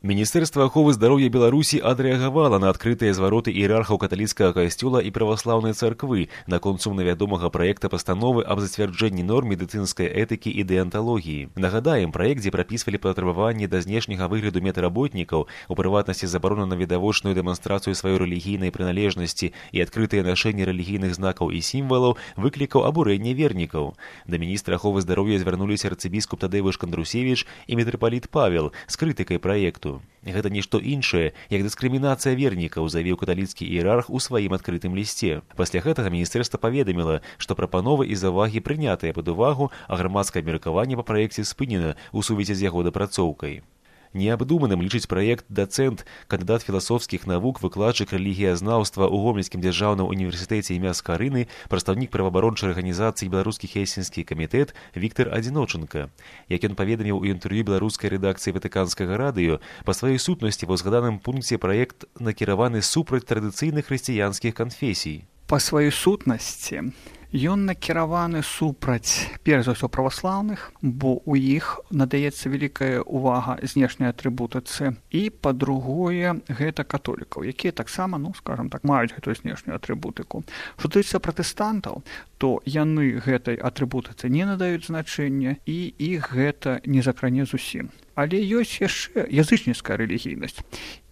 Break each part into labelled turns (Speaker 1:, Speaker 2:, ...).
Speaker 1: Міністэрства аховы здароўя Беларусі адрэагавала на адкрытыя звароты іерархаў каталіцкага касцёла і праваслаўнай царквы наконт сумна вядомага праекта пастановы аб зацвярджэнні норм медыцынскай этыкі і дэанталогіі. Нагадаем, праект, дзе прапісвалі патрабаванні да знешняга выгляду медработнікаў, у прыватнасці забарона на відавочную дэманстрацыю сваёй рэлігійнай прыналежнасці і адкрытае нашэнне рэлігійных знакаў і сімвалаў, выклікаў абурэнне вернікаў. Да міністра аховы здароўя звярнуліся арцыбіскуп Тадэвыш Кандрусевіч і мітрапаліт Павел з крытыкай праекту. Гэта нішто іншае, як дыскрымінацыя вернікаў, заявіў каталіцкі іерарх у сваім адкрытым лісце. Пасля гэтага міністэрства паведаміла, што прапановы і завагі прынятыя пад увагу, а грамадскае абмеркаванне па праекце спынена ў сувязі з яго дапрацоўкай. Неабдуманым лічыць праект дацэнт, кандыдат філасофскіх навук, выкладчык рэлігіязнаўства ў Гомельскім дзяржаўным універсітэце імя Скарыны, прадстаўнік праваабарончай арганізацыі Беларускі хельсінскі камітэт Віктар Адзіночанка. Як ён паведаміў у інтэрв'ю беларускай рэдакцыі Ватыканскага радыё, па сваёй сутнасці ва ўзгаданым пункце праект накіраваны супраць традыцыйных хрысціянскіх канфесій.
Speaker 2: Па сваёй сутнасці ён накіраваны супраць, перш за ўсё, праваслаўных, бо ў іх надаецца вялікая ўвага знешняй атрыбутыцы, і, па-другое, гэта католікаў, якія таксама, скажам так, маюць гэтую знешнюю атрыбутыку. Што тычыцца пратэстантаў, то яны гэтай атрыбутыцы не надаюць значэння, і іх гэта не закране зусім. Але ёсць яшчэ язычніцкая рэлігійнасць.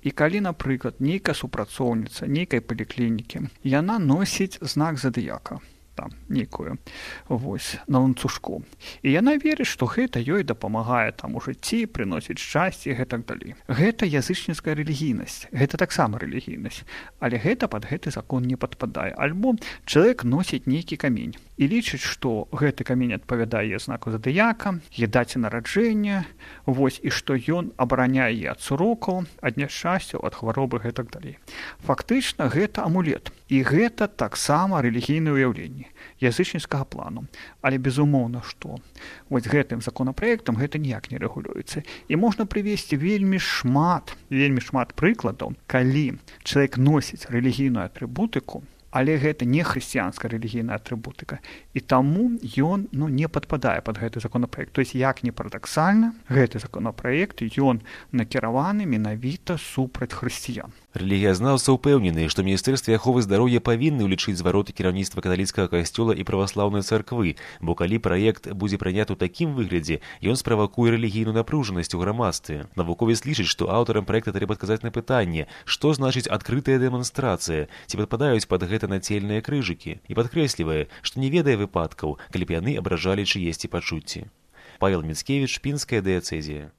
Speaker 2: І калі, напрыклад, нейкая супрацоўніца нейкай паліклінікі, яна носіць знак задыяка, там, нейкую, на ланцужку. І яна верыць, што гэта ёй дапамагае там у жыцці, прыносіць шчасце і гэтак далей. Гэта язычніцкая рэлігійнасць, гэта таксама рэлігійнасць, але гэта пад гэты закон не падпадае. Альбо чалавек носіць нейкі камень і лічыць, што гэты камень адпавядае знаку задыяка, даце нараджэння, і што ён абараняе ад сурокаў, ад няшчасцяў, ад хваробы, гэтак далей. Фактычна гэта амулет, і гэта таксама рэлігійнае ўяўленне язычніцкага плану. Але безумоўна, што гэтым законапраектам гэта ніяк не рэгулюецца. І можна прывесці вельмі шмат прыкладаў, калі чалавек носіць рэлігійную атрыбутыку, але гэта не хрысціянская рэлігійная атрыбутыка. І таму ён не падпадае пад гэты законапраект. То есть, як не парадаксальна, гэты законапраект ён накіраваны менавіта супраць хрысціян.
Speaker 1: Рэлігіязнаўцы ўпэўнены, што міністэрстве аховы здароўя павінны ўлічыць звароты кіраўніцтва каталіцкага касцёла і праваслаўнай царквы, бо калі праект будзе прыняты ў такім выглядзе, ён справакуе рэлігійную напружанасць у грамадстве. Навуковец лічыць, што аўтарам праекта трэба адказаць на пытанне, што значыць адкрытая дэманстрацыя, ці падпадаюць пад гэта нацельныя крыжыкі, і падкрэслівае, што не ведае выпадкаў, калі б яны абражалі чыесьці пачуцці. Павел Міцкевіч, Пінская дыяцэзія.